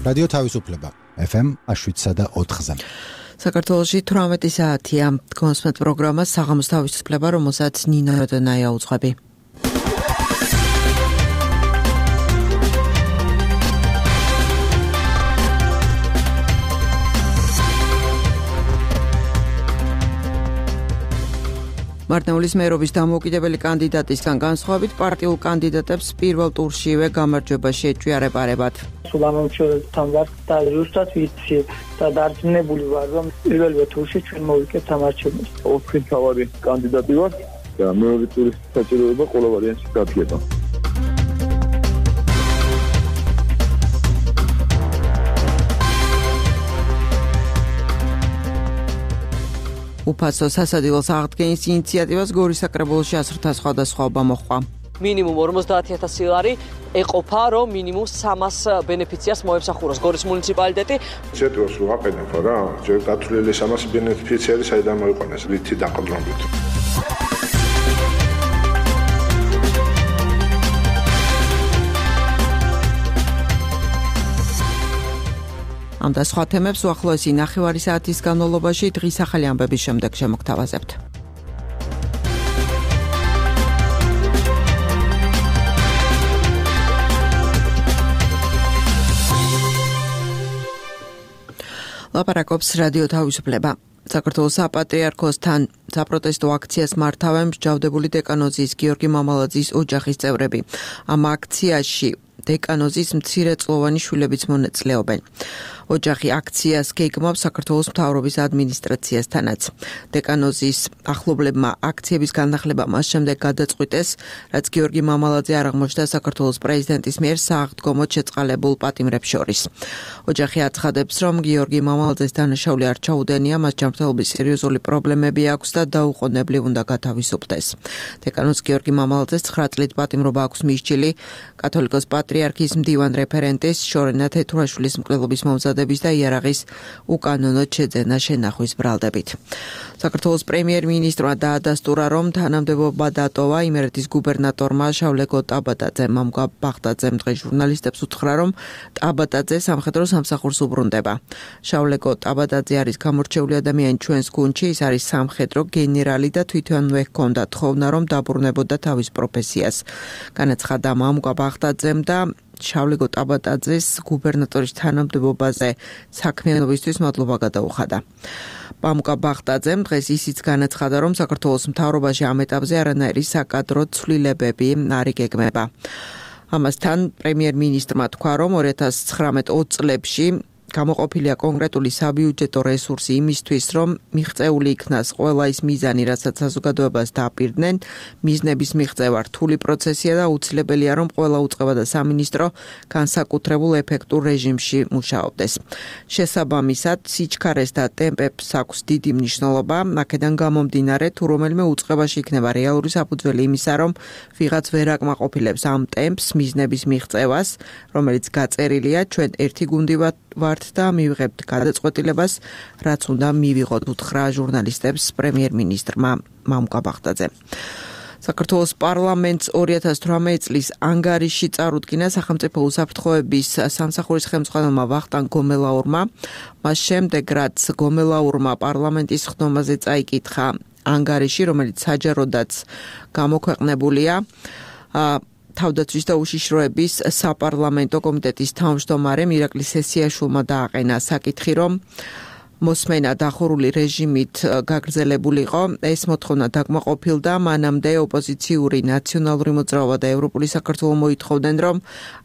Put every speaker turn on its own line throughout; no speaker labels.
რადიო თავისუფლება FM 7.4-ზე.
საქართველოში 18 საათია კონსმეთ პროგრამა საღამოს თავისუფლება, რომელსაც ნინო როდონაია უძღვები. მარტნეულის მერობის დამოუკიდებელი კანდიდატისგან განსხვავებით პარტიულ კანდიდატებს პირველ ტურშივე გამარჯვება შეეჭვიარებარებათ.
სულ ამომრჩეველთან ვარ და ზუსტად ვიცი და დარწმუნებული ვარ, რომ პირველ ტურში ჩვენ მოვიკეთებთ ამარჩევნებს.
ოთხი თავარი კანდიდატი ვარ და მეორე ტურის საჭიროება ყველა ვარიანტში დადგება.
უფასო სასადილოს აღდგენის ინიციატივას გორის საკრებულოში 100-თან სხვადასხვაობა მოჰყვა.
მინიმუმ 50,000 ლარი ეყოფა, რომ მინიმუმ 300 ბენეფიციარს მოემსახუროს გორის მუნიციპალიტეტი.
ინიციატივას რო აყენებო რა, ჯერ დათვლილი 300 ბენეფიციარი საიდან მოიყვანეს, რითი დაყრდნობით.
ამ და სხვა თემებს უახლოესი ნახევარი საათის განმავლობაში დღის ახალი ამბების შემდეგ შემოგთავაზებთ. ლაპარაკობს რადიო თავისუფლება. საქართველოს საპატრიარქოსთან საპროტესტო აქციას მართავენ მსჯავრდებული დეკანოზის გიორგი მამალაძის ოჯახის წევრები. ამ აქციაში დეკანოზის მცირეწლოვანი შვილებიც მონაწილეობენ. ოჯახი აქციას გეგმავს საქართველოს მთავრობის ადმინისტრაციასთანაც. დეკანოზის ახლობლებმა აქციების განახლება მას შემდეგ გადაწყვიტეს, რაც გიორგი მამალაძე არ აღმოჩნდა საქართველოს პრეზიდენტის მიერ სააღდგომოდ შეწყალებულ პატიმრებს შორის. ოჯახი აცხადებს, რომ გიორგი მამალაძეს დანაშაული არ ჩაუდენია, მას ჯანმრთელობის სერიოზული პრობლემები აქვს და დაუყოვნებლივ უნდა გათავისუფლდეს. დეკანოზს გიორგი მამალაძეს 9 წლით პატიმრობა აქვს მისჯილი კათოლიკოს პატრიარქის მდივან რეფერენტის შორენა თეთურაშვილის მკვლელობის მომზადების და იარაღის უკანონოდ შეძენა შენახვის ბრალდებით. საქართველოს პრემიერ-მინისტრმა დაადასტურა, რომ თანამდებობა დატოვა იმერეთის გუბერნატორმა შავლეკო ტაბატაძემ. მამუკა ბახტაძემ დღეს ჟურნალისტებს უთხრა, რომ ტაბატაძე სამხედრო სამსახურს უბრუნდება. შავლეკო ტაბატაძე არის გამორჩეული ადამიანი ჩვენს გუნდში, ის არის სამხედრო გენერალი და თვითონვე ჰქონდა თხოვნა, რომ დაბრუნებოდა თავის პროფესიას. განაცხადა მამუკა ბახტაძემ და შავლეკო ტაბატაძეს გუბერნატორის თანამდებობაზე საქმიანობისთვის მადლობა გადაუხადა. მამუკა ბახტაძემ დღეს ისიც განაცხადა, რომ საქართველოს მთავრობაში ამ ეტაპზე არანაირი საკადრო ცვლილებები არ იგეგმება. ამასთან პრემიერ-მინისტრმა თქვა, რომ 2019 წლებში გამოყოფილია კონკრეტული საბიუჯეტო რესურსი იმისთვის, რომ მიღწეული იქნას ყველა ის მიზანი, რასაც საზოგადოებას დააპირდნენ. მიზნების მიღწევა რთული პროცესია და აუცილებელია, რომ ყველა უწყება და სამინისტრო განსაკუთრებულ ეფექტურ რეჟიმში მუშაობდეს. შესაბამისად, სიჩქარეს და ტემპებს აქვს დიდი მნიშვნელობა. აქედან გამომდინარე, თუ რომელიმე უწყებაში იქნება რეალური საფუძველი იმისა, რომ ვიღაც ვერ აკმაყოფილებს ამ ტემპს, მიზნების მიღწევას, რომელიც გაწერილია, ჩვენ ერთი გუნდი ვართ და მივიღებთ გადაწყვეტილებას, რაც უნდა მივიღოთ, უთხრა ჟურნალისტებს პრემიერ-მინისტრმა მამუკა ბახტაძემ. საქართველოს პარლამენტს 2018 წლის ანგარიში წარუდგინა სახელმწიფო უსაფრთხოების სამსახურის ხელმძღვანელმა ვახტანგ გომელაურმა. მას შემდეგ, რაც გომელაურმა პარლამენტის ხდომაზე წაიკითხა ანგარიში, რომელიც საჯაროდაც გამოქვეყნებულია, თავდაცვის და უშიშროების საპარლამენტო კომიტეტის თავმჯდომარემ ირაკლი სესიაშვილმა დააყენა საკითხი, რომ მოსმენა დახურული რეჟიმით გაგრძელებულიყო. ეს მოთხოვნა დაკმაყოფილდა. მანამდე ოპოზიციური ნაციონალური მოძრაობა და ევროპული საქართველო მოითხოვდნენ, რომ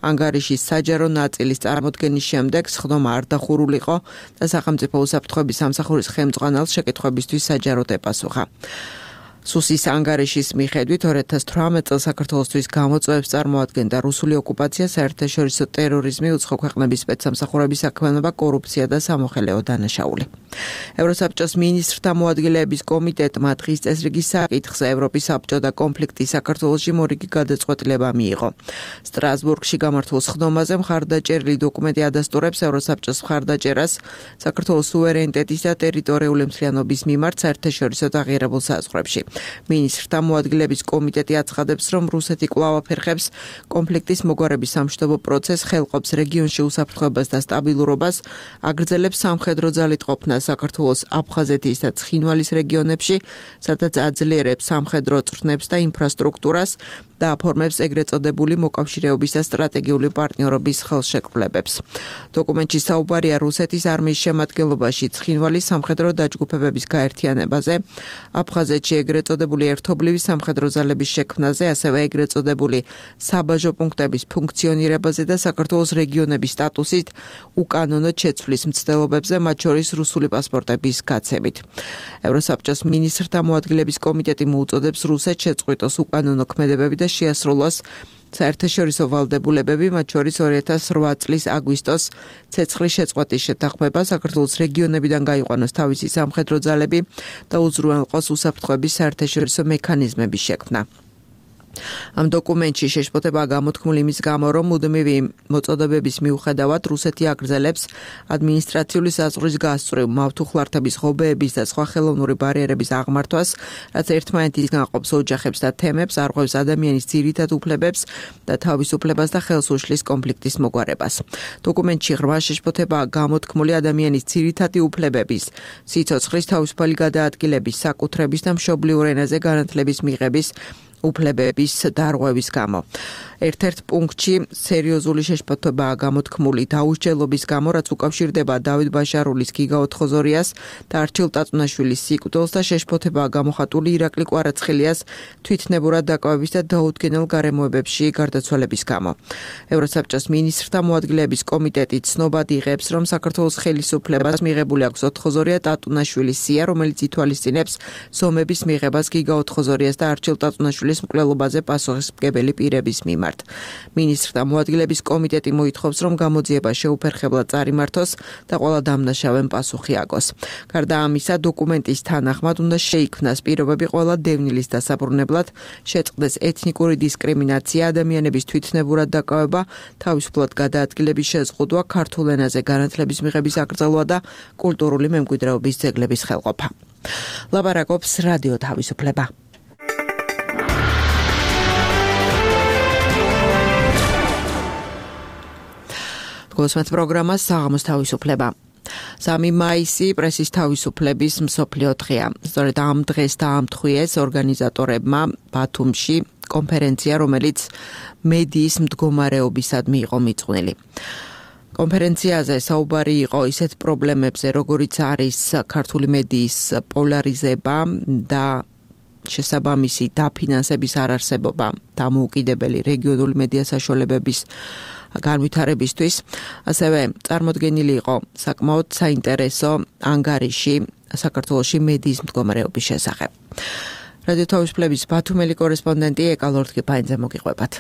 ანგარიშის საჯარო ნაწილის წარმოდგენის შემდეგ სხდომა არ დახურულიყო და სახელმწიფო უსაფრთხოების სამსახურის ხელმძღვანელს შეკითხვებისთვის საჯაროდ ეპასუხა. სუსის ანგარიშის მიხედვით 2018 წელს საქართველოსთვის გამოწვევებს წარმოადგენდა რუსული ოკუპაცია, საერთაშორისო ტერორიზმი, უცხო ქვეყნების სპეცსამსახურების საქმიანობა, კორუფცია და სამოხელეო დანაშაული. ევროსაბჭოს მინისტრთა მოადგილეების კომიტეტმა დღის წესრიგის საკითხზე ევროპის საბჭო და კონფლიქტი საქართველოში მორიგი გადაწყვეტილება მიიღო. სტრასბურგში გამართულ სხდომაზე მხარდაჭერილი დოკუმენტი ადასტურებს ევროსაბჭოს მხარდაჭერას საქართველოს სუვერენიტეტის და ტერიტორიული მთლიანობის მიმართ საერთაშორისო აღიარებულ საზღვრებში. მინისტრთა მოადგილების კომიტეტი აცხადებს, რომ რუსეთი კვლავ აფერხებს კონფლიქტის მოგვარების სამშვიდობო პროცესს, ხელყოფს რეგიონში უსაფრთხოებას და სტაბილურობას, აგრძელებს სამხედრო ძალით ყოფნას საქართველოს აფხაზეთის და ცხინვალის რეგიონებში, სადაც აძლიერებს სამხედრო წვრთნებს და ინფრასტრუქტურას და აფორმებს ეგრეთ წოდებული მოკავშირეობის და სტრატეგიული პარტნიორობის ხელშეკრულებებს. დოკუმენტში საუბარია რუსეთის არმიის შემადგენლობაში ცხინვალის სამხედრო დაჯგუფებების გაერთიანებაზე, აფხაზეთში ეგრეთ წოდებული ერთობლივი სამხედრო ძალების შექმნაზე, ასევე ეგრეთ წოდებული საბაჟო პუნქტების ფუნქციონირებაზე და საქართველოს რეგიონების სტატუსით უკანონოდ შეცვლის მცდელობებზე, მათ შორის რუსული პასპორტების გაცემით. ევროსაბჭოს მინისტრთა მოადგილების კომიტეტი მოუწოდებს რუსეთს შეწყვიტოს უკანონო ქმედებები და შეასრულოს საერთაშორისო ვალდებულებები, მათ შორის 2008 წლის აგვისტოს ცეცხლის შეწყვეტის შეთანხმება, საქართველოს რეგიონებიდან გაიყვანოს თავისი სამხედრო ძალები და უზრუნველყოს უსაფრთხოების საერთაშორისო მექანიზმების შექმნა. ამ დოკუმენტში შეშფოთებაა გამოთქმული იმის გამო, რომ მუდმივი მოწოდებების მიუხედავად რუსეთი აგრძელებს ადმინისტრაციული საზღვრის გასწვრივ, მავთუხლართების, ღობეების და სხვა ხელოვნური ბარიერების აღმართვას, რაც ერთმანეთისგან ყოფს ოჯახებს და თემებს, არღვევს ადამიანის ძირითად უფლებებს და თავისუფლებას და ხელს უშლის კონფლიქტის მოგვარებას. დოკუმენტში ღრმა შეშფოთებაა გამოთქმული ადამიანის ძირითადი უფლებების, სიცოცხლის თავისუფალი გადაადგილების, საკუთრების და მშობლიურ ენაზე განათლების მიღების უფლებების დარღვევის გამო. ერთ-ერთ პუნქტში სერიოზული შეშფოთებაა გამოთქმული დაუსჯელობის გამო, რაც უკავშირდება დავით ბაშარულის, გიგა ოთხოზორიას და არჩილ ტაწუნაშვილის სიკვდილს და შეშფოთებაა გამოხატული ირაკლი კვარაცხელიას თვითნებურად დაკავების და დაუდგენელ გარემოებებში გარდაცვალების გამო. ევროსაბჭოს მინისტრთა მოადგილების კომიტეტი ცნობად იღებს, რომ საქართველოს ხელისუფლებას მიღებული აქვს ოთხოზორია ტატუნაშვილის სია, რომელიც ითვალისწინებს ზომების მიღებას გიგა ოთხოზორიას და არჩილ ტაწუნაშვილის მკვლელობაზე პასუხისმგებელი პირების მიმართ. მინისტრთა მოადგილების კომიტეტი მოითხოვს, რომ გამოძიება შეუფერხებლად წარიმართოს და ყველა დამნაშავემ პასუხი აგოს. გარდა ამისა, დოკუმენტის თანახმად უნდა შეიქმნას პირობები ყველა დევნილის დასაბრუნებლად, შეწყდეს ეთნიკური დისკრიმინაცია, ადამიანების თვითნებურად დაკავება, თავისუფლად გადაადგილების შეზღუდვა, ქართულ ენაზე განათლების მიღების აკრძალვა და კულტურული მემკვიდრეობის ძეგლების ხელყოფა. ლაპარაკობს რადიო თავისუფლება. გოსმეთ პროგრამა საღამოს თავისუფლება. 3 მაისი პრესის თავისუფლების მსოფლიო დღეა. სწორედ ამ დღეს დაამთხვიეს ორგანიზატორებმა ბათუმში კონფერენცია, რომელიც მედიის მდგომარეობისადმი იყო მიძღვნილი. კონფერენციაზე საუბარი იყო ისეთ პრობლემებზე, როგორიც არის ქართული მედიის პოლარიზება და შესაბამისი დაფინანსების არარსებობა დამოუკიდებელი რეგიონული მედია საშუალებების განვითარებისთვის. ასევე წარმოდგენილი იყო საკმაოდ საინტერესო ანგარიში საქართველოში მედიის მდგომარეობის შესახებ. რადიო თავისუფლების ბათუმელი კორესპონდენტი ეკა ლორდ-კიფაინძე მოგიყვებათ.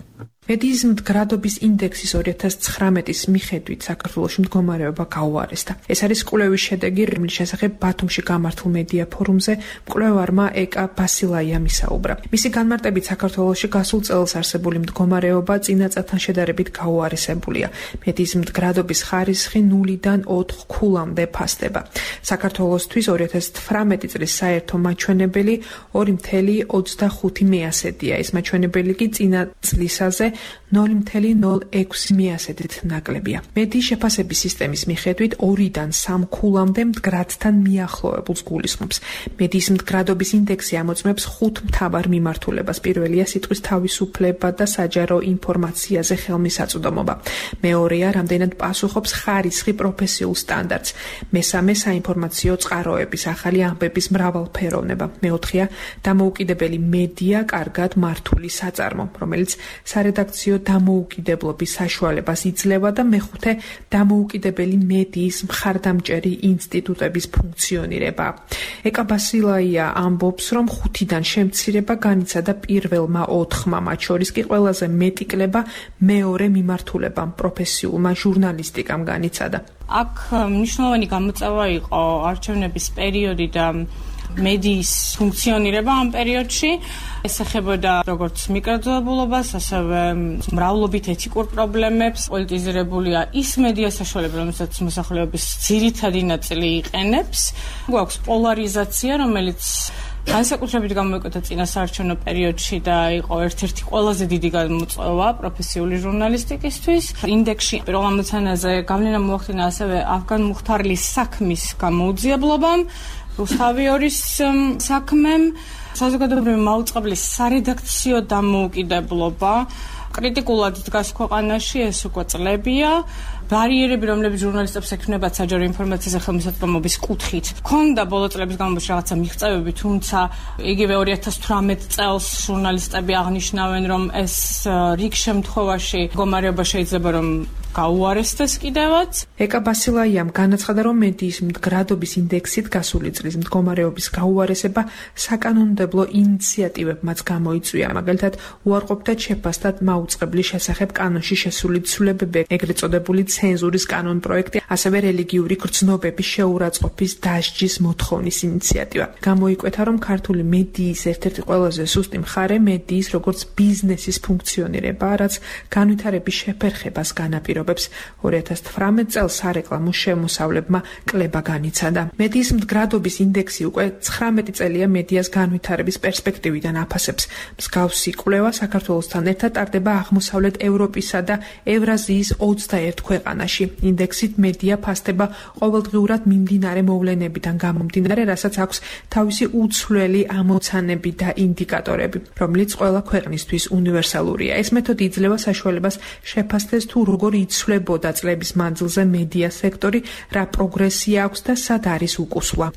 მედიის მდგრადობის ინდექსის 2019-ის მიხედვით საქართველოში მდგომარეობა გაუარესდა. ეს არის კვლევის შედეგი, რომლის შესახებ ბათუმში გამართულ მედია ფორუმზე მკვლევარმა ეკა ბასილაიამ ისაუბრა. მისი განმარტებით საქართველოში გასულ წელს არსებული მდგომარეობა წინა წელთან შედარებით გაუარესებულია. მედიის მდგრადობის ხარისხი 0-დან 4 ქულამდე ფასდება. საქართველოსთვის 2018 წლის საერთო მაჩვენებელი 2.25%-ია. ეს მაჩვენებელი კი წინა წლისაზე 0.06%-ით ნაკლებია. მედიის შეფასების სისტემის მიხედვით 2-დან 3 ქულამდე მდგრადთან მიახლოებულს გულისხმობს. მედიის მდგრადობის ინდექსი ამოწმებს 5 მთავარ მიმართულებას. პირველია სიტყვის თავისუფლება და საჯარო ინფორმაციაზე ხელმისაწვდომობა. მეორეა რამდენად პასუხობს ხარისხი პროფესიულ სტანდარტს. მესამე საინფორმაციო წყაროების ახალი ამბების მრავალფეროვნება. მეოთხეა დამოუკიდებელი მედია, კარგად მართული საწარმო, რომელიც სარედაქციო დამოუკიდებლობის საშუალებას იძლევა და მეხუთე დამოუკიდებელი მედიის მხარდამჭერი ინსტიტუტების ფუნქციონირება. ეკა ბასილაია ამბობს, რომ 5-დან შემცირება განიცადა პირველმა 4-მა, მათ შორის კი ყველაზე მეტი კლება მეორე მიმართულებამ, პროფესიულმა ჟურნალისტიკამ განიცადა.
აქ მნიშვნელოვანი გამოწვევა იყო არჩევნების პერიოდი და მედიის ფუნქციონირება ამ პერიოდში. ეს ეხებოდა როგორც მიკროძოებულობას, ასევე მრავლობით ეთიკურ პრობლემებს. პოლიტიზირებულია ის მედია საშუალება, რომელსაც მოსახლეობის ძირითადი ნაწილი იყენებს. გვაქვს პოლარიზაცია, რომელიც განსაკუთრებით გამოიკვეთა წინასაარჩევნო პერიოდში და იყო ერთ-ერთი ყველაზე დიდი გამოწვევა პროფესიული ჟურნალისტიკისთვის. ინდექსში პირველ ამოცანაზე გავლენა მოახდინა ასევე ავგან მუხთარლის საქმის გამოუძიებლობამ, რუსთავიორის საქმემ, საზოგადოებრივი მაუწყებლის სარედაქციო დამოუკიდებლობა. კრიტიკულად დგას ქვეყანაში, ეს უკვე წლებია. ბარიერები, რომლებიც ჟურნალისტებს ექმნებათ საჯარო ინფორმაციაზე ხელმისაწვდომობის კუთხით. ქონდა ბოლო წლების განმავლობაში რაღაცა მიღწევები, თუმცა იგივე 2018 წელს ჟურნალისტები აღნიშნავენ, რომ ეს რიგ შემთხვევაში მდგომარეობა შეიძლება რომ გაუარესდეს კიდევაც. ეკა ბასილაიამ განაცხადა, რომ მედიის მდგრადობის ინდექსით გასული წლის მდგომარეობის გაუარესება საკანონმდებლო ინიციატივებმაც გამოიწვია. მაგალითად, უარყოფდა შეფასდათ მაუწყებლის შესახებ კანონში შესული ცვლილებები, ეგრეთ წოდებული ცენზურის კანონპროექტი, ასევე რელიგიური გრძნობების შეურაცხყოფის დასჯის მოთხოვნის ინიციატივა. გამოიკვეთა, რომ ქართული მედიის ერთ-ერთი ყველაზე სუსტი მხარე მედიის როგორც ბიზნესის ფუნქციონირებაა, რაც განვითარების შეფერხებას განაპირობებს. 2018 წელს სარეკლამო შემოსავლებმა კლება განიცადა. მედიის მდგრადობის ინდექსი უკვე 19 წელია მედიას განვითარების პერსპექტივიდან აფასებს. მსგავსი კვლევა საქართველოსთან ერთად ტარდება აღმოსავლეთ ევროპისა და ევრაზიის 21 ქვეყანაში. ინდექსით მედია ფასდება ყოველდღიურად მიმდინარე მოვლენებიდან გამომდინარე, რასაც აქვს თავისი უცვლელი ამოცანები და ინდიკატორები, რომელიც ყველა ქვეყნისთვის უნივერსალურია. ეს მეთოდი იძლევა საშუალებას შეფასდეს თუ როგორ იცვლებოდა წლების მანძილზე მედია სექტორი, რა პროგრესია აქვს და სად არის უკუსვა.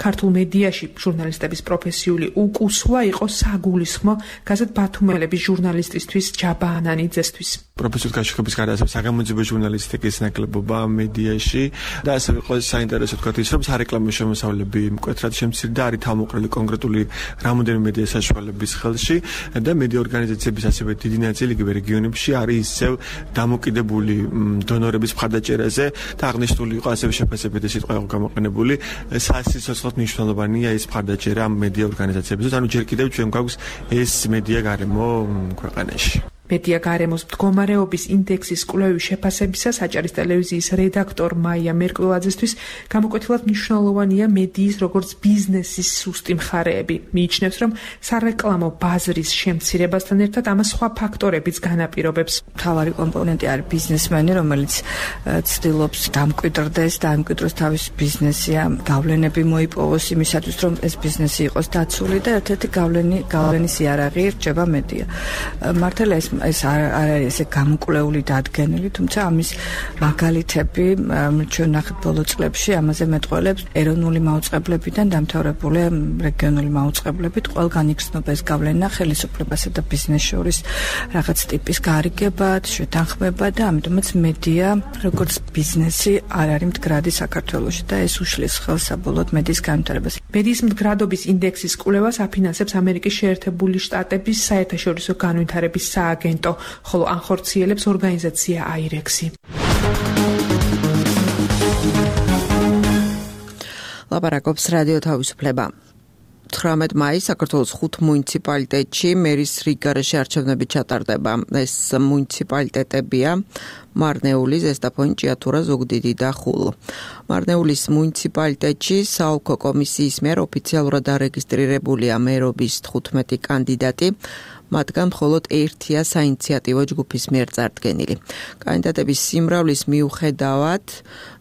ქართულ მედიაში ჟურნალისტების პროფესიული უკუსვა იყო საგულისხმო გაზეთ ბათუმელების ჟურნალისტისთვის ჯაბა ანანიძესთვის.
პროფესიული გაშუქების გარდა ასევე საგამოძიებო ჟურნალისტიკის ნაკლებობა მედიაში და ასევე იყო საინტერესო თქვა ის, რომ სარეკლამო შემოსავლები მკვეთრად შემცირდა, არის თავმოყრილი კონკრეტული რამოდენიმე მედია საშუალების ხელში და მედია ორგანიზაციების ასევე დიდი ნაწილი იგივე რეგიონებში არის ისევ დამოკიდებული დონორების მხარდაჭერაზე და აღნიშნული იყო ასევე შეფასებითი სიტყვა იყო გამოყენებული. სასიცოცხლოდ მნიშვნელოვანია ეს მხარდაჭერა მედია ორგანიზაციებისთვის, ანუ ჯერ კიდევ ჩვენ გვაქვს ეს მედია გარემო ქვეყანაში.
მედია გარემოს მდგომარეობის ინდექსის კვლევის შეფასებისას აჭარის ტელევიზიის რედაქტორ მაია მერკველაძესთვის გამოკვეთილად მნიშვნელოვანია მედიის როგორც ბიზნესის სუსტი მხარეები. მიიჩნევს, რომ სარეკლამო ბაზრის შემცირებასთან ერთად ამას სხვა ფაქტორებიც განაპირობებს.
მთავარი კომპონენტი არის ბიზნესმენი, რომელიც ცდილობს დამკვიდრდეს და ამკვიდროს თავის ბიზნესი, გავლენები მოიპოვოს იმისათვის, რომ ეს ბიზნესი იყოს დაცული და ერთ-ერთი გავლენის იარაღი რჩება მედია. მართალია ეს არ არის ესე გამოკვლეული დადგენილი, თუმცა ამის მაგალითები ჩვენ ნახეთ ბოლო წლებში, ამაზე მეტყველებს ეროვნული მაუწყებლებიდან დამთავრებული რეგიონული მაუწყებლებით, ყველგან იგრძნობა ეს გავლენა ხელისუფლებასა და ბიზნესს შორის რაღაც ტიპის გარიგებად, შეთანხმება და ამიტომაც მედია როგორც ბიზნესი არ არის მდგრადი საქართველოში და ეს უშლის ხელს საბოლოოდ მედიის განვითარებას.
მედიის მდგრადობის ინდექსის კვლევას აფინანსებს ამერიკის შეერთებული შტატების საერთაშორისო განვითარების სააგენტო, ხოლო ანხორციელებს ორგანიზაცია აირექსი.
ლაპარაკობს რადიო თავისუფლება. 18 მაისს საქართველოს 5 მუნიციპალიტეტში მერის რიგგარეშე არჩევნები ჩატარდება. ეს მუნიციპალიტეტებია მარნეული, ზესტაფონი, ჭიათურა, ზუგდიდი და ხულო. მარნეულის მუნიციპალიტეტში საოლქო კომისიის მიერ ოფიციალურად დარეგისტრირებულია მერობის 15 კანდიდატი. მათგან მხოლოდ ერთია საინიციატივო ჯგუფის მიერ წარდგენილი. კანდიდატების სიმრავლის მიუხედავად,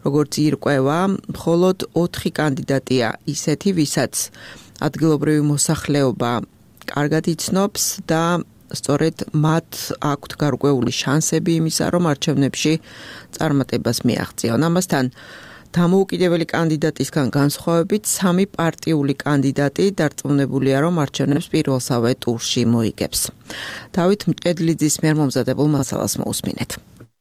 როგორც ირკვევა, მხოლოდ 4 კანდიდატია ისეთი, ვისაც ადგილობრივი მოსახლეობა კარგად იცნობს და სწორედ მათ აქვთ გარკვეული შანსები იმისა, რომ არჩევნებში წარმატებას მიაღწიონ. ამასთან დამოუკიდებელი კანდიდატისგან განსხვავებით 3 პარტიული კანდიდატი დარწმუნებულია, რომ არჩევნებს პირველსავე ტურში მოიგებს. დავით მჭედლიძის მიერ მომზადებულ მასალას მოусმინეთ.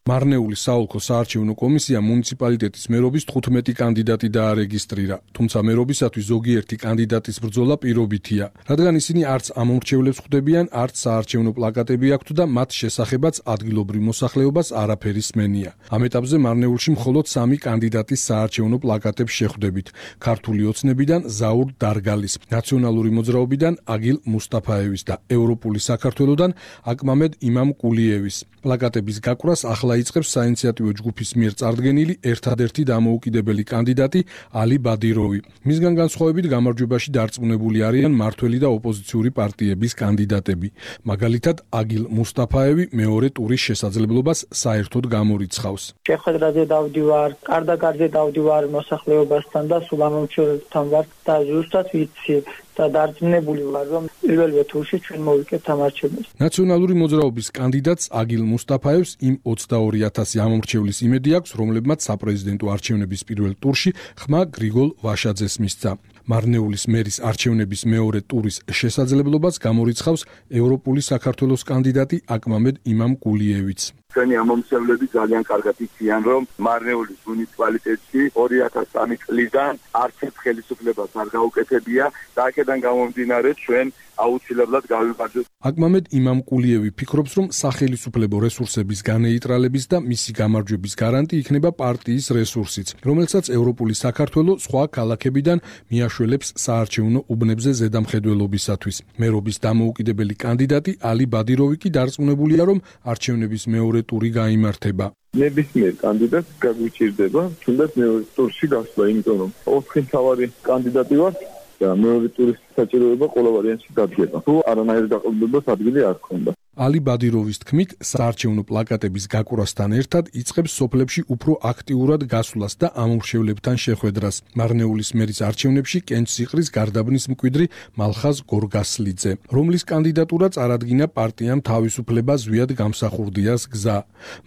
მარნეულის საოლქო საარჩევნო კომისია მუნიციპალიტეტის მერობის 15 კანდიდატი დაარეგისტრირა, თუმცა მერობისათვის ზოგიერთი კანდიდატის ბრძოლა პირობითია, რადგან ისინი არც ამომრჩევლებს ხვდებიან, არც საარჩევნო პლაკატები აქვთ და მათ შესახებაც ადგილობრივ მოსახლეობას არაფერი სმენია. ამ ეტაპზე მარნეულში მხოლოდ 3 კანდიდატის საარჩევნო პლაკატებს შეხვდებით. ქართული ოცნებიდან ზაურ დარგალის, ნაციონალური მოძრაობიდან აგილ მუსტაფაევის და ევროპული საქართველოსდან აკმამედ იმამ კულიევის. პლაკატების გაყვრას ახლა იწყებს საინიციატივო ჯგუფის მიერ წარდგენილი ერთადერთი დამოუკიდებელი კანდიდატი ალი ბადიროვი. მისგან განსხვავებით გამარჯვებაში დარწმუნებული არიან მმართველი და ოპოზიციური პარტიების კანდიდატები. მაგალითად, აგილ მუსტაფაევი მეორე ტურის შესაძლებლობას საერთოდ გამორიცხავს.
შეხვედრაზე დავდივარ, კარდაკარზე დავდივარ მოსახლეობასთან და სულ ამომრჩეველებთან ვარ და ზუსტად ვიცი და დარწმუნებული ვარ, რომ პირველ ტურში ჩვენ მოვიკეთებთ ამ არჩევნებს.
ნაციონალური მოძრაობის კანდიდატს აგილ მუსტაფაევს იმ 22,000 ამომრჩევლის იმედი აქვს, რომლებმაც საპრეზიდენტო არჩევნების პირველ ტურში ხმა გრიგოლ ვაშაძეს მისცა. მარნეულის მერის არჩევნების მეორე ტურის შესაძლებლობას გამორიცხავს ევროპული საქართველოს კანდიდატი აკმამედ იმამკულიევიც.
ჩვენი ამომრჩევლები ძალიან კარგად იციან, რომ მარნეულის მუნიციპალიტეტში 2003 წლიდან არც ერთ ხელისუფლებას არ გაუკეთებია და აქედან გამომდინარე ჩვენ აუცილებლად გავიმარჯვებთ.
აკმამედ იმამკულიევი ფიქრობს, რომ სახელისუფლებო რესურსების განეიტრალების და მისი გამარჯვების გარანტი იქნება პარტიის რესურსიც, რომელსაც ევროპული საქართველო სხვა ქალაქებიდან მიაშველებს საარჩევნო უბნებზე ზედამხედველობისათვის. მერობის დამოუკიდებელი კანდიდატი ალი ბადიროვი კი დარწმუნებულია, რომ არჩევნების მეორე ტური გაიმართება.
ნებისმიერ კანდიდატს გაგვიჭირდება თუნდაც მეორე ტურში გასვლა, იმიტომ რომ 4 მთავარი კანდიდატი ვართ და მეორე ტურის საჭიროება ყველა ვარიანტში დადგება. თუ არანაირი დაყრდნობას ადგილი არ ქონდა.
ალი ბადიროვის თქმით, საარჩევნო პლაკატების გაკვრასთან ერთად იწყებს სოფლებში უფრო აქტიურად გასვლას და ამომრჩევლებთან შეხვედრას. მარნეულის მერის არჩევნებში კენჭს იყრის გარდაბნის მკვიდრი მალხაზ გორგასლიძე, რომლის კანდიდატურა წარადგინა პარტიამ თავისუფლება ზვიად გამსახურდიას გზა.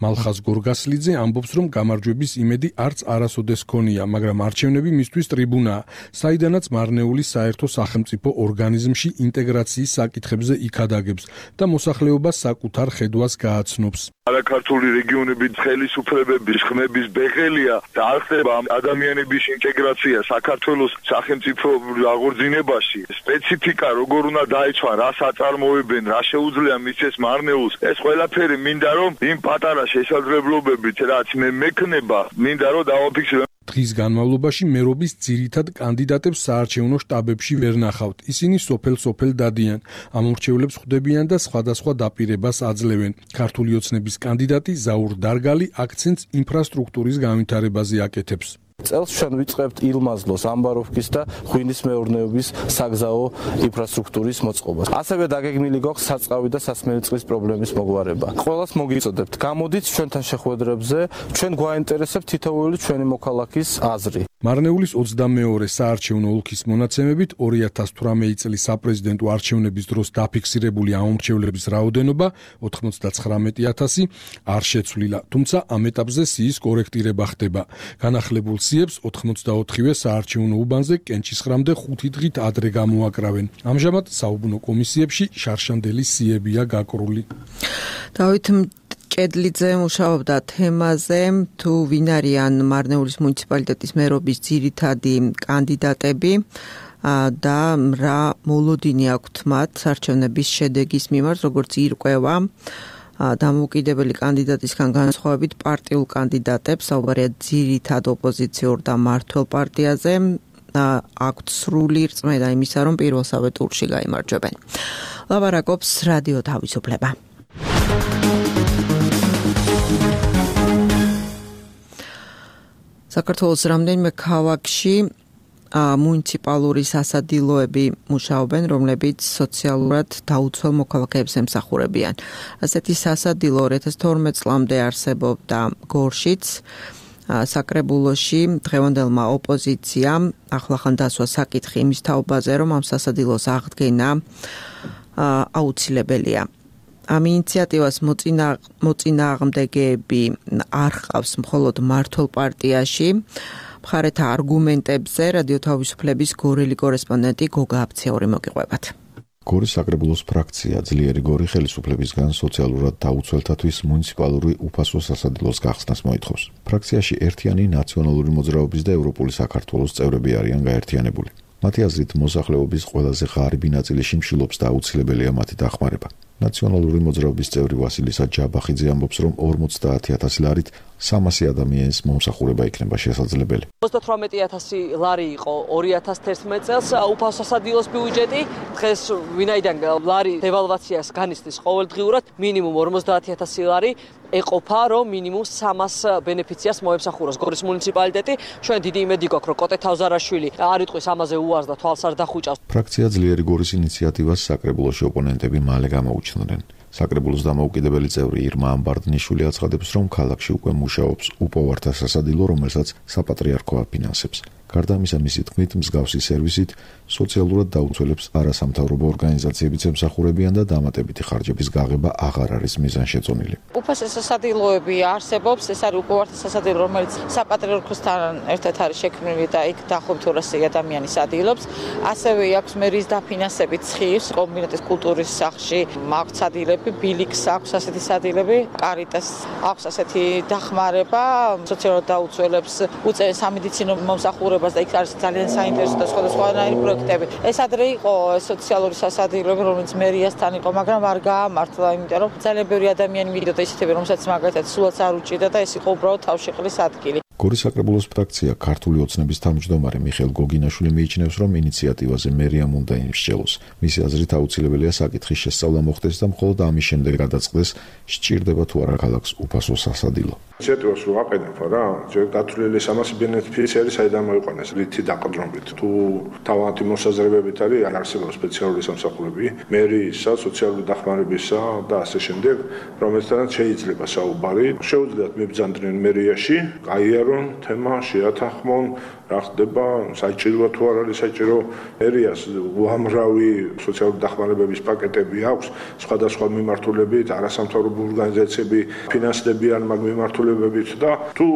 მალხაზ გორგასლიძე ამბობს, რომ გამარჯვების იმედი არც არასოდეს ჰქონია, მაგრამ არჩევნები მისთვის ტრიბუნაა, საიდანაც მარნეულის საერთო სახელმწიფო ორგანიზმში ინტეგრაციის საკითხებზე იქადაგებს და მოსახლეობა საკუთარ ხედვას გააცნობს.
არაქართული რეგიონების ხელისუფლებების ხმების ბეღელია და არ ხდება ადამიანების ინტეგრაცია საქართველოს სახელმწიფო აღორძინებაში. სპეციფიკა როგორ უნდა დაიცვან, რას აწარმოებენ, რა შეუძლია მისცეს მარნეულს, ეს ყველაფერი მინდა რომ იმ პატარა შესაძლებლობებით რაც მე მექნება, მინდა რომ დავაფიქსირო.
დღის განმავლობაში მერობის ძირითად კანდიდატებს საარჩევნო შტაბებში ვერ ნახავთ. ისინი სოფელ-სოფელ დადიან, ამორჩევლებს ხვდებიან და სხვადასხვა დაპირებას აძლევენ. ქართული ოცნების კანდიდატი ზაურ დარგალი აქცენტს ინფრასტრუქტურის განვითარებაზე აკეთებს.
წელს ჩვენ ვიწყებთ ილმაზლოს, ამბაროვკის და ღვინის მეურნეობის საგზაო ინფრასტრუქტურის მოწყობას. ასევე დაგეგმილი გვაქვს საწყავი და სასმელი წყლის პრობლემის მოგვარება. ყველას მოგიწოდებთ, გამოდით ჩვენთან შეხვედრებზე, ჩვენ გვაინტერესებთ თითოეული ჩვენი მოქალაქის აზრი.
მარნეულის 22 საარჩევნო ოლქის მონაცემებით 2018 წლის საპრეზიდენტო არჩევნების დროს დაფიქსირებული ამომრჩევლების რაოდენობა 99,000 არ შეცვლილა, თუმცა ამ ეტაპზე სიის კორექტირება ხდება. განახლებულ სიებს 84-ვე საარჩევნო უბანზე კენჭისხრამდე 5 დღით ადრე გამოაკრავენ. ამჟამად საუბნო კომისიებში შარშანდელი სიებია გაკრული.
დავით კედლიძე მუშაობდა თემაზე, თუ ვინ არიან მარნეულის მუნიციპალიტეტის მერობის ძირითადი კანდიდატები და რა მოლოდინი აქვთ მათ არჩევნების შედეგის მიმართ, როგორც ირკვევა დამოუკიდებელი კანდიდატისგან განსხვავებით პარტიულ კანდიდატებს, საუბარია ძირითად ოპოზიციურ და მმართველ პარტიაზე, აქვთ სრული რწმენა იმისა, რომ პირველსავე ტურში გაიმარჯვებენ. ლაპარაკობს რადიო თავისუფლება. საქართველოს რამდენიმე ქალაქში მუნიციპალური სასადილოები მუშაობენ, რომლებიც სოციალურად დაუცველ მოქალაქეებს ემსახურებიან. ასეთი სასადილო 2012 წლამდე არსებობდა გორშიც, საკრებულოში დღევანდელმა ოპოზიციამ ახლახან დასვა საკითხი იმის თაობაზე, რომ ამ სასადილოს აღდგენა აუცილებელია. ამ ინიციატივას მოწინააღმდეგეები არ ჰყავს მხოლოდ მმართველ პარტიაში. მხარეთა არგუმენტებზე რადიო თავისუფლების გორელი კორესპონდენტი გოგა აფციური მოგიყვებათ.
გორის საკრებულოს ფრაქცია ძლიერი გორი ხელისუფლებისგან სოციალურად დაუცველთათვის მუნიციპალური უფასო სასადილოს გახსნას მოითხოვს. ფრაქციაში ერთიანი ნაციონალური მოძრაობის და ევროპული საქართველოს წევრები არიან გაერთიანებული. მათი აზრით მოსახლეობის ყველაზე ღარიბი ნაწილი შიმშილობს და აუცილებელია მათი დახმარება. ნაციონალური მოძრაობის წევრი ვასილისა ჯაბახიძე ამბობს, რომ 50,000 ლარით 300 ადამიანის მომსახურება იქნება შესაძლებელი.
38000 ლარი იყო 2011 წელს უფასო სასადილოს ბიუჯეტი. დღეს ვინაიდან ლარი დევალვაციას განიცდის ყოველდღიურად, მინიმუმ 50000 ლარი ეყოფა, რომ მინიმუმ 300 ბენეფიციას მოემსახუროს გორის მუნიციპალიტეტი. ჩვენ დიდი იმედი გვაქვს, რომ კოტე თავზარაშვილი არ იტყვის ამაზე უარს და თვალს არ დახუჭავს.
ფრაქცია ძლიერი გორის ინიციატივას საკრებულოში ოპონენტები მალე გამოუჩნდნენ. საკრებულოს დამოუკიდებელი წევრი ირმა ამბარდნიშვილი აცხადებს, რომ ქალაქში უკვე მუშაობს უპოვართა სასადილო, რომელსაც საპატრიარქო აფინანსებს. გარდა ამისა, მისი თქმით, მსგავსი სერვისით სოციალურად დაუცველებს არასამთავრობო ორგანიზაციებიც ემსახურებიან და დამატებითი ხარჯების გაღება აღარ არის მიზანშეწონილი.
უფასო სასადილოები არსებობს, ეს არის უპოვართა სასადილო, რომელიც საპატრიარქოსთან ერთად არის შექმნილი და იქ დაახლოებით 200 ადამიანის ადილობს. ასევე აქვს მერის დაფინანსებით ცხის კომბინატის კულტურის სახლში მაქვს ადილები, ბილიქს აქვს ასეთი სადილები, კარიტას აქვს ასეთი დახმარება, სოციალურად დაუცველებს უწევენ სამედიცინო მომსახურებას და იქ არის ძალიან საინტერესო და სხვადასხვანაირი პროექტები. ეს ადრე იყო სოციალური სასადილოები, რომელიც მერიასთან იყო, მაგრამ არ გაამართლა, იმიტომ რომ ძალიან ბევრი ადამიანი მიდოდა ისეთები, რომელსაც მაგალითად სულაც არ უჭირდა და ეს იყო უბრალოდ თავშეყრის ადგილი.
გორის საკრებულოს ფრაქცია ქართული ოცნების თავმჯდომარე მიხეილ გოგინაშვილი მიიჩნევს, რომ ინიციატივაზე მერიამ უნდა იმსჯელოს. მისი აზრით აუცილებელია საკითხის შესწავლა მოხდეს და მხოლოდ ამის შემდეგ გადაწყდეს, სჭირდება თუ არა ქალაქს უფასო სასადილო.
ინიციატივას რო აყენებ რა, ჯერ გათვლილი 300 ბენეფიციარი საიდან მოიყვანეს, რითი დაყრდნობით. თუ თავიანთი მოსაზრებებით არის, არ არსებობს სპეციალური სამსახურები, მერისა, სოციალური დახმარებისა და ასე შემდეგ, რომელთანაც შეიძლება საუბარი. შეუძლიათ მიბრძანდნენ მერიაში, გაიარონ თემა, შეათანხმონ, რა ხდება, საჭიროა თუ არ არის საჭირო. მერიას უამრავი სოციალური დახმარებების პაკეტები აქვს, სხვადასხვა მიმართულებით, არასამთავრობო ორგანიზაციები ფინანსდებიან მაგ მიმართულებებით და თუ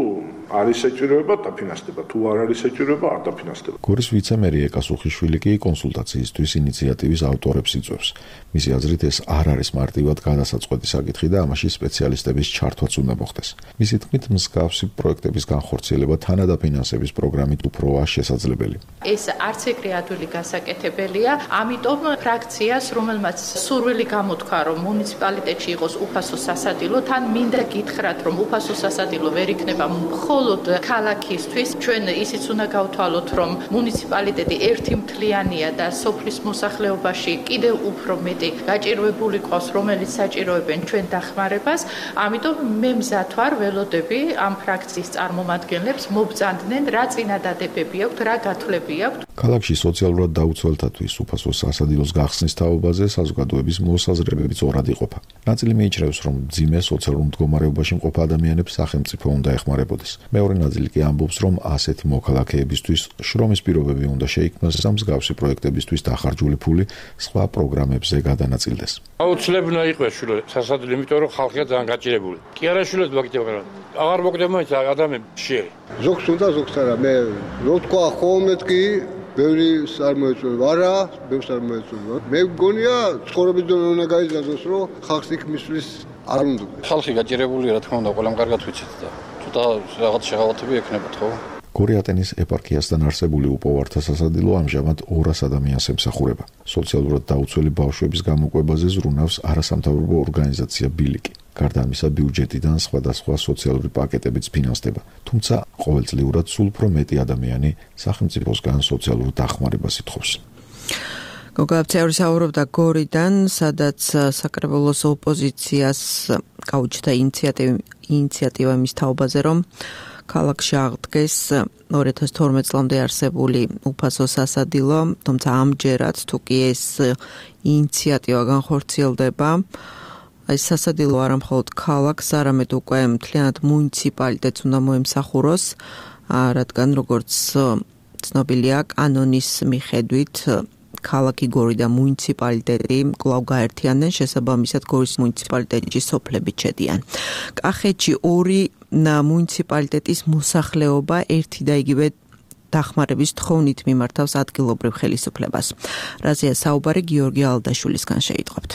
არის საჭიროება დაფინანსდება, თუ არ არის საჭიროება არ დაფინანსდება.
გორის ვიცემერი ეკასუხიშვილი კი კონსულტაციისთვის ინიციატივის ავტორებს იწვევს. მისი აზრით ეს არ არის მარტივად გადასაწყვეტი საკითხი და ამაში სპეციალისტების ჩართვაც უნდა მოხდეს. მისი თქმით, მსგავსი პროექტების განხორციელება თანადაფინანსების პროგრამით უფროა შესაძლებელი.
ეს არც ეგრე ადვილი გასაკეთებელია, ამიტომ ფრაქციას, რომელმაც სურვილი გამოთქვა, რომ მუნიციპალიტეტში იყოს უფასო სასადილო, თან მინდა გითხრათ, რომ უფასო სასადილო ვერ იქნება მხოლოდ ქალაქისთვის. ჩვენ ისიც უნდა გავთვალოთ, რომ მუნიციპალიტეტი ერთი მთლიანია და სოფლის მოსახლეობაში კიდევ უფრო მეტი გაჭირვებული ყავს, რომელიც საჭიროებენ ჩვენ დახმარებას. ამიტომ მე მზად ვარ, ველოდები ამ ფრაქციის წარმომადგენლებს მობრძანდნენ, რა წინადადებები აქვთ, რა გათვლები აქვთ.
ქალაქში სოციალურად დაუცველთათვის უფასო სასადილოს გახსნის თაობაზე საზოგადოების მოსაზრებებიც ორად იყოფა. ნაწილი მიიჩნევს, რომ მძიმე სოციალურ მდგომარეობაში მყოფ ადამიანებს სახელმწიფო უნდა ეხმარებოდეს. მეორე ნაწილი კი ამბობს, რომ ასეთი მოქალაქეებისთვის შრომის პირობები უნდა შეიქმნას და მსგავსი პროექტებისთვის დახარჯული ფული სხვა პროგრამებზე გადანაწილდეს.
აუცილებლად იყოს შვილო სასადილო, იმიტომ რომ ხალხია ძალიან გაჭირებული. კი არა შვილო მაგიტება რა. აღარ მოკდება ადამიანები შეერი.
ზოგს უნდა ზოგს არა. მე რო თქვა ხოლმე კი ბევრი არ მოეწონება, არა, ბევრს არ მოეწონება. მე მგონია ცხოვრების დონე უნდა გაიზარდოს, რომ ხალხს იქ მისვლის არ უნდა.
ხალხი გაჭირებულია, რა თქმა უნდა, ყველამ კარგად ვიცით და თუ რაღაც შეღავათები ექნებათ, ხო?
გორი ატენის ეპარქიასთან არსებული უპოვართა სასადილო ამჟამად 200 ადამიანს ემსახურება. სოციალურად დაუცველი ბავშვების გამოკვებაზე ზრუნავს არასამთავრობო ორგანიზაცია ბილიკი. გარდა ამისა, ბიუჯეტიდან სხვადასხვა სოციალური პაკეტებიც ფინანსდება. თუმცა ყოველწლიურად სულ უფრო მეტი ადამიანი სახელმწიფოსგან სოციალურ დახმარებას ითხოვს.
გოგაბცევრი საუბრობდა გორიდან, სადაც საკრებულოს ოპოზიციას გაუჩნდა ინიციატივა მის თაობაზე, რომ ქალაქში აღდგეს 2012 წლამდე არსებული უფასო სასადილო, თუმცა ამჯერად თუ კი ეს ინიციატივა განხორციელდება, ეს სასადილო არა მხოლოდ ქალაქს, არამედ უკვე მთლიანად მუნიციპალიტეტს უნდა მოემსახუროს, რადგან როგორც ცნობილია კანონის მიხედვით ქალაქი გორი და მუნიციპალიტეტი კვლავ გაერთიანდნენ, შესაბამისად გორის მუნიციპალიტეტში სოფლები ჩედიან. კახეთში ორი მუნიციპალიტეტის მოსახლეობა ერთი და იგივე დახმარების თხოვნით მიმართავს ადგილობრივ ხელისუფლებას. რაზეა საუბარი გიორგი ალდაშვილისგან შეიტყობთ.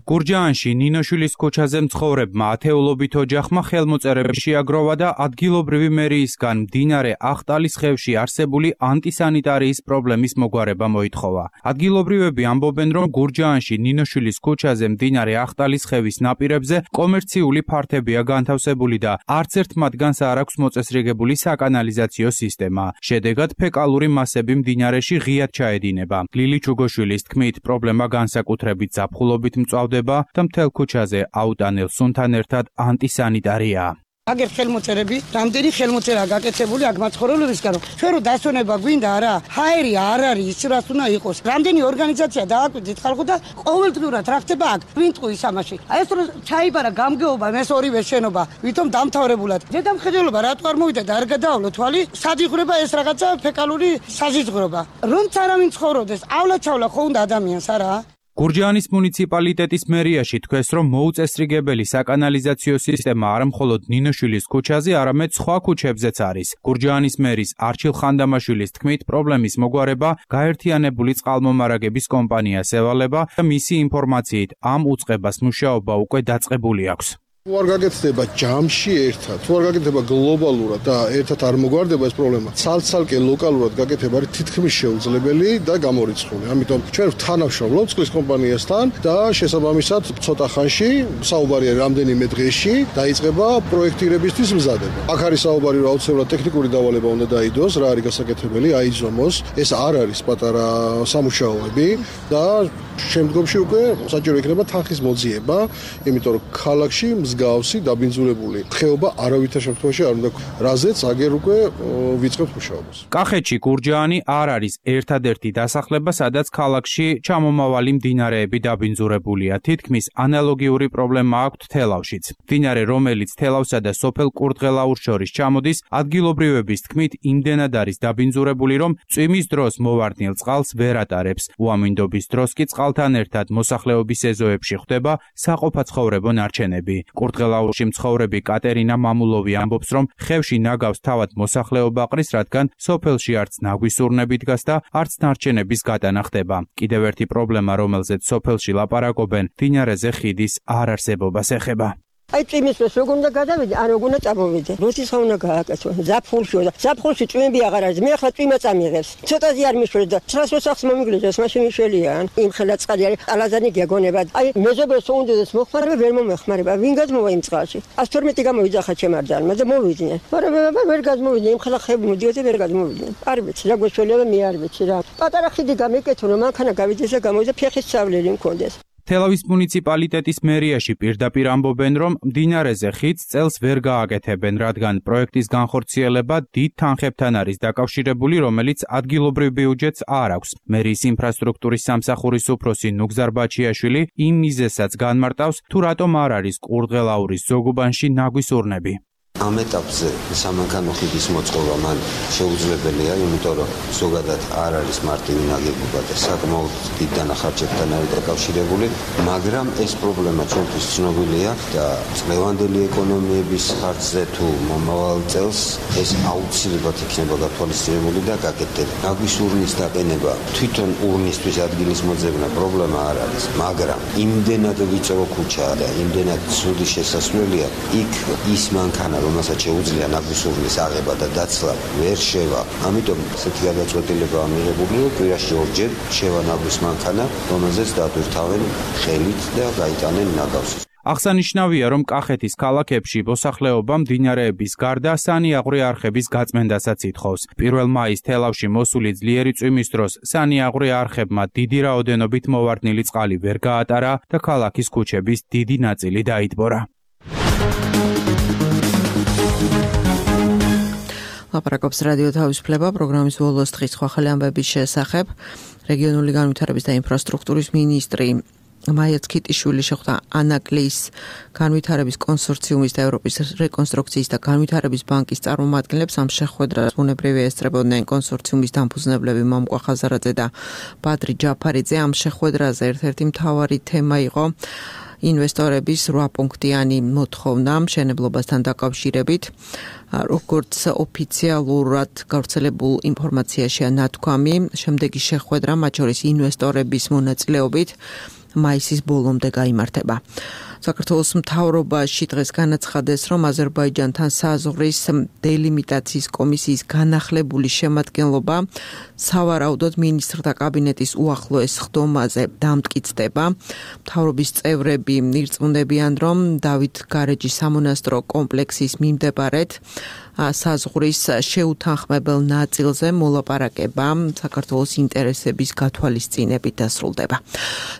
გურჯაანში ნინოშვილის ქუჩაზე მცხოვრებმა ათეულობით ოჯახმა ხელმოწერები შეაგროვა და ადგილობრივი მერიისგან მდინარე ახტალის ხევში არსებული ანტისანიტარიის პრობლემის მოგვარება მოითხოვა. ადგილობრივები ამბობენ, რომ გურჯაანში ნინოშვილის ქუჩაზე მდინარე ახტალის ხევის ნაპირებზე კომერციული ფართებია განთავსებული და არც ერთ მათგანს არ აქვს მოწესრიგებული საკანალიზაციო სისტემა. შედეგად ფეკალური მასები მდინარეში ღიად ჩაედინება. ლილი ჩუგოშვილის თქმით, პრობლემა განსაკუთრებით ზაფხულობით მწვავდება და მთელ ქუჩაზე აუტანელ სუნთან ერთად ანტისანიტარია.
აგერ ხელმოწერები, რამდენი ხელმოწერა გაკეთებული აქ მაცხოვრებლებისგან, ჩვენ რო დასვენება გვინდა არა, ჰაერი არ არის ის რაც უნდა იყოს. რამდენი ორგანიზაცია დააკვირდით ხალხო და ყოველდღიურად რა ხდება აქ? ვინ ტყუის ამაში? აი ეს რო ჩაიბარა გამგეობა, ეს ორივე შენობა, ვითომ დამთავრებულად. ზედამხედველობა რატო არ მოვიდა და არ გადაავლო თვალი? სად იღვრება ეს რაღაცა ფეკალური საზიზღვრობა? რომც არავინ ცხოვრობდეს, ავლა-ჩავლა ხო უნდა ადამიანს არა?
გურჯაანის მუნიციპალიტეტის მერიაში თქვეს, რომ მოუწესრიგებელი საკანალიზაციო სისტემა არა მხოლოდ ნინოშვილის ქუჩაზე, არამედ სხვა ქუჩებზეც არის. გურჯაანის მერის არჩილ ხანდამაშვილის თქმით, პრობლემის მოგვარება გაერთიანებული წყალმომარაგების კომპანიას ევალება და მისი ინფორმაციით ამ უწყებას მუშაობა უკვე დაწყებული აქვს.
თუ არ გაკეთდება ჯამში ერთად, თუ არ გაკეთდება გლობალურად და ერთად არ მოგვარდება ეს პრობლემა, ცალ-ცალკე ლოკალურად გაკეთება არის თითქმის შეუძლებელი და გამორიცხული. ამიტომ ჩვენ თანამშრომლობთ წყლის კომპანიასთან და შესაბამისად ცოტა ხანში, საუბარია რამდენიმე დღეში, დაიწყება პროექტირებისთვის მზადება. აქ არის საუბარი, რომ აუცილებლად ტექნიკური დავალება უნდა დაიდოს, რა არის გასაკეთებელი, აიძომოს. ეს არ არის პატარა სამუშაოები და შემდგომში უკვე საჭირო იქნება თანხის მოძიება, იმიტომ რომ ქალაქში მსგავსი დაბინძურებული ხეობა არავითარ შემთხვევაში არ უნდა, რაზეც აგერ უკვე ვიწყებთ მუშაობას.
კახეთში გურჯაანი არ არის ერთადერთი დასახლება, სადაც ქალაქში ჩამომავალი მდინარეები დაბინძურებულია. თითქმის ანალოგიური პრობლემა აქვთ თელავშიც. მდინარე, რომელიც თელავსა და სოფელ კურდღელაურს შორის ჩამოდის, ადგილობრივების თქმით იმდენად არის დაბინძურებული, რომ წვიმის დროს მოვარდნილ წყალს ვერ ატარებს. უამინდობის დროს კი წყალთან ერთად მოსახლეობის ეზოებში ხვდება საყოფაცხოვრებო ნარჩენები. კურდღელაურში მცხოვრები კატერინა მამულოვი ამბობს, რომ ხევში ნაგავს თავად მოსახლეობა ყრის, რადგან სოფელში არც ნაგვის ურნები დგას და არც ნარჩენების გატანა ხდება. კიდევ ერთი პრობლემა, რომელზეც სოფელში ლაპარაკობენ, მდინარეზე ხიდის არ არსებობას ეხება.
აი წვიმის დროს როგორ უნდა გადავიდე, ან როგორ უნდა წამოვიდე. როდის ხომ უნდა გააკეთო? ზაფხულში წვიმები აღარ არის. მე ახლა წვიმა წამიღებს. ცოტაზე არ მიშვერდა. ცხრას როსახს მომიგლეჯოს, მაშინ მიშველია. იმ ხელა წყალი არის, ალაზანი გეგონება. აი მეზობელს უნდადეს მოხმარება, ვერ მომეხმარება. ვინ გადმოვა იმ წყალში? 112 გამოვიძახა ჩემარდანმა და მოვიდნენ. მაგრამ ვერ გადმოვიდნენ, იმ ხელა ხები მოდიოდი ვერ გადმოვიდნენ. არ ვიცი, რა გვეშველია, მე არ ვიცი რა. პატარა ხიდი გამეკეთო, რომ მანქანა გავიდეს და გამოვიდა ფეხის სწავლელი მქონდეს.
თელავის მუნიციპალიტეტის მერიაში პირდაპირ ამბობენ, რომ მდინარეზე ხიდს წელს ვერ გააკეთებენ, რადგან პროექტის განხორციელება დიდ თანხებთან არის დაკავშირებული, რომელიც ადგილობრივ ბიუჯეტს არ აქვს. მერის ინფრასტრუქტურის სამსახურის უფროსი ნუგზარ ბაჩიაშვილი იმ მიზეზსაც განმარტავს, თუ რატომ არ არის კურდღელაურის ზოგუბანში ნაგვის ურნები.
ამ ეტაპზე სამანქანო ხიდის მოწყობა მან შეუძლებელია, იმიტომ რომ ზოგადად არ არის მარტივი ნაგებობა და საკმაოდ დიდ დანახარჯებთან არის დაკავშირებული, მაგრამ ეს პრობლემა ჩვენთვის ცნობილია და წლევანდელი ეკონომიების ხარჯზე თუ მომავალ წელს ეს აუცილებლად იქნება გათვალისწინებული და გაკეთებული. ნაგვის ურნის დაყენება თვითონ ურნისთვის ადგილის მოძებნა პრობლემა არ არის, მაგრამ იმდენად ვიწრო ქუჩაა და იმდენად ცუდი შესასვლელია, იქ ის მანქანა რომელსაც შეუძლია ნაგვის ურნის აღება და დაცლა ვერ შევა. ამიტომ ესეთი გადაწყვეტილებაა მიღებული, რომ კვირაში ორჯერ შევა ნაგვის მანქანა, რომელზეც დადვირთავენ ხელით და გაიტანენ ნაგავს.
აღსანიშნავია, რომ კახეთის ქალაქებში მოსახლეობა მდინარეების გარდა სანიაღვრე არხების გაწმენდასაც ითხოვს. 1 მაისს თელავში მოსული ძლიერი წვიმის დროს სანიაღვრე არხებმა დიდი რაოდენობით მოვარდნილი წყალი ვერ გაატარა და ქალაქის ქუჩების დიდი ნაწილი დაიტბორა.
ლაპარაკობს რადიო თავისუფლება პროგრამის ბოლოს დღის სხვა ხელი ამბების შესახებ. რეგიონული განვითარების და ინფრასტრუქტურის მინისტრი მაია ცქიტიშვილი შეხვდა ანაკლიის განვითარების კონსორციუმის და ევროპის რეკონსტრუქციის და განვითარების ბანკის წარმომადგენლებს. ამ შეხვედრას ბუნებრივია ესწრებოდნენ კონსორციუმის დამფუძნებლები მომკვა ხაზარაძე და ბადრი ჯაფარიძე. ამ შეხვედრაზე ერთ-ერთი მთავარი თემა იყო ინვესტორების 8-პუნქტიანი მოთხოვნა მშენებლობასთან დაკავშირებით. როგორც ოფიციალურად გავრცელებულ ინფორმაციაშია ნათქვამი, შემდეგი შეხვედრა მათ შორის ინვესტორების მონაწილეობით მაისის ბოლომდე გაიმართება. საქართველოს მთავრობაში დღეს განაცხადეს, რომ აზერბაიჯანთან საზღვრის დელიმიტაციის კომისიის განახლებული შემადგენლობა სავარაუდოდ მინისტრთა კაბინეტის უახლოეს ხდომაზე დამტკიცდება. მთავრობის წევრები ირწმუნებიან, რომ დავით გარეჯის სამონასტრო კომპლექსის მიმდებარედ საზღვრის შეუთანხმებელ ნაწილზე მოლაპარაკება საქართველოს ინტერესების გათვალისწინებით დასრულდება.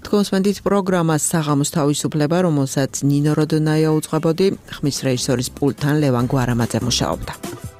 თქვენს პროგრამას საღამოს თავისუფლება, რომელსაც ნინო როდონაია უძღვებოდი, ხმის რეჟისორის პულტთან ლევან გვარამაძე მუშაობდა.